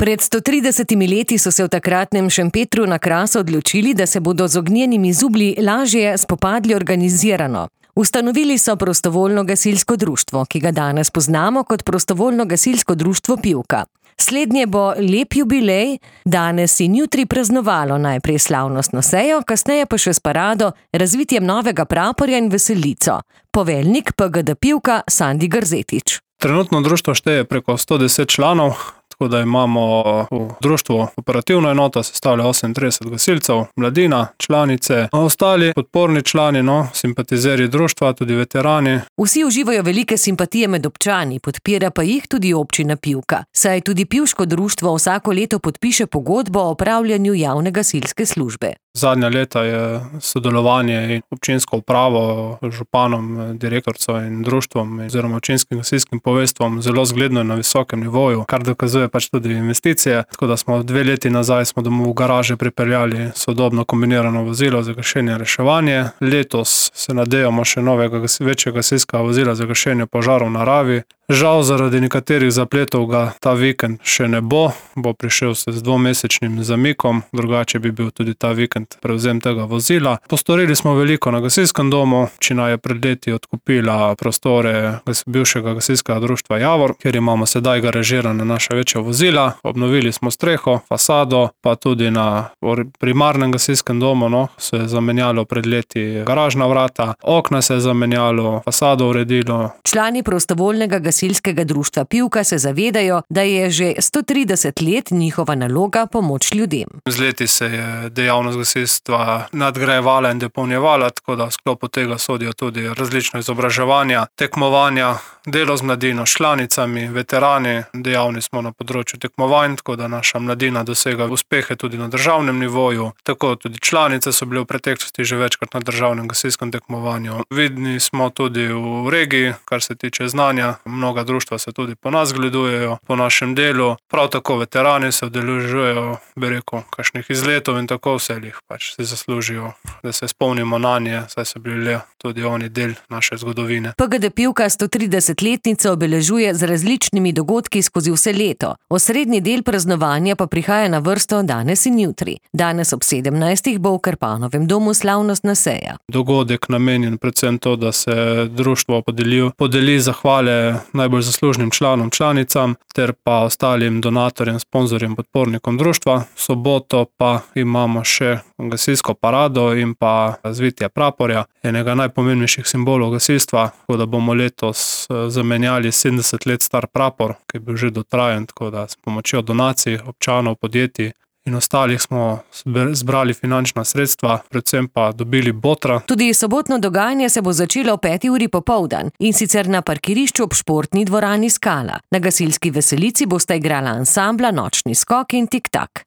Pred 130 leti so se v takratnem Šempetru na Krasu odločili, da se bodo z ognjenimi zublji lažje spopadli organizirano. Ustanovili so prostovoljno gasilsko društvo, ki ga danes poznamo kot prostovoljno gasilsko društvo Pivka. Slednje bo lep jubilej, danes in jutri praznovalo najprej slavnostno sejo, kasneje pa še s parado, razvitjem novega praporja in veselico. Poveljnik PGD Pivka Sandi Grzetič. Trenutno društvo šteje preko 110 članov, tako da imamo v društvu operativno enoto, sestavlja 38 gasilcev, mladina, članice, ostali podporni člani, simpatizerji društva, tudi veterani. Vsi uživajo velike simpatije med občani, podpira pa jih tudi občina Pivka, saj tudi Pivško društvo vsako leto podpiše pogodbo o opravljanju javne gasilske službe. Zadnja leta je sodelovanje in občinsko upravo, županom, direktorico in društvom oziroma občinskim gasilskim poveljstvom zelo zgledno na visokem nivoju, kar dokazuje tudi investicije. Tako da smo 2 leti nazaj domov v garaže pripeljali sodobno kombinirano vozilo za gašenje in reševanje. Letos se nadejamo še novega večjega gasilskega vozila za gašenje požarov v naravi. Žal zaradi nekaterih zapletov ga ta vikend še ne bo prišel se z 2-mesečnim zamikom, drugače bi bil tudi ta vikend prevzem tega vozila. Postorili smo veliko na gasilskem domu, občina je pred leti odkupila prostore bivšega gasilskega društva Javor, kjer imamo sedaj garažirane naša večja vozila. Obnovili smo streho, fasado, pa tudi na primarnem gasilskem domu se je zamenjalo pred leti garažna vrata, okna se je zamenjalo, fasado uredilo. Člani prostovoljnega gasilskega društva Pivka se zavedajo, da je že 130 let njihova naloga pomoč ljudem. Z leti se je dejavnost gasilstva nadgrajevala in dopolnjevala, tako da v sklopu tega sodijo tudi različna izobraževanja, tekmovanja, delo z mladino, članicami, veterani. Dejavni smo na področju tekmovanj, tako da naša mladina dosega uspehe tudi na državnem nivoju. Tako tudi članice so bile v preteklosti že večkrat na državnem gasilskem tekmovanju. Vidni smo tudi v regiji, kar se tiče znanja. Mnoga društva se tudi po nas gledujejo, po našem delu. Prav tako veterani se udeležujejo, kakšnih izletov in tako vselih si zaslužijo, da se spomnimo nanje, saj so bili tudi oni del naše zgodovine. PGD Pivka 130-letnico obeležuje z različnimi dogodki skozi vse leto. Osrednji del praznovanja pa prihaja na vrsto danes in jutri. Danes ob 17. bo v Krpanovem domu slavnostna seja. Dogodek namenjen predvsem to, da se društvo podeli zahvale najbolj zaslužnim članom, članicam ter pa ostalim donatorjem, sponzorjem, podpornikom društva. V soboto pa imamo še gasilsko parado in pa razvitje praporja, enega najpomembnejših simbolov gasilstva, tako da bomo letos zamenjali 70 let star prapor, ki je bil že dotrajen, tako da s pomočjo donacij občanov, podjetij in ostalih smo zbrali finančna sredstva, predvsem pa dobili botra. Tudi sobotno dogajanje se bo začelo ob 5. uri popoldan, in sicer na parkirišču ob športni dvorani Skala. Na gasilski veselici bosta igrala ansambla Nočni skok in Tik tak.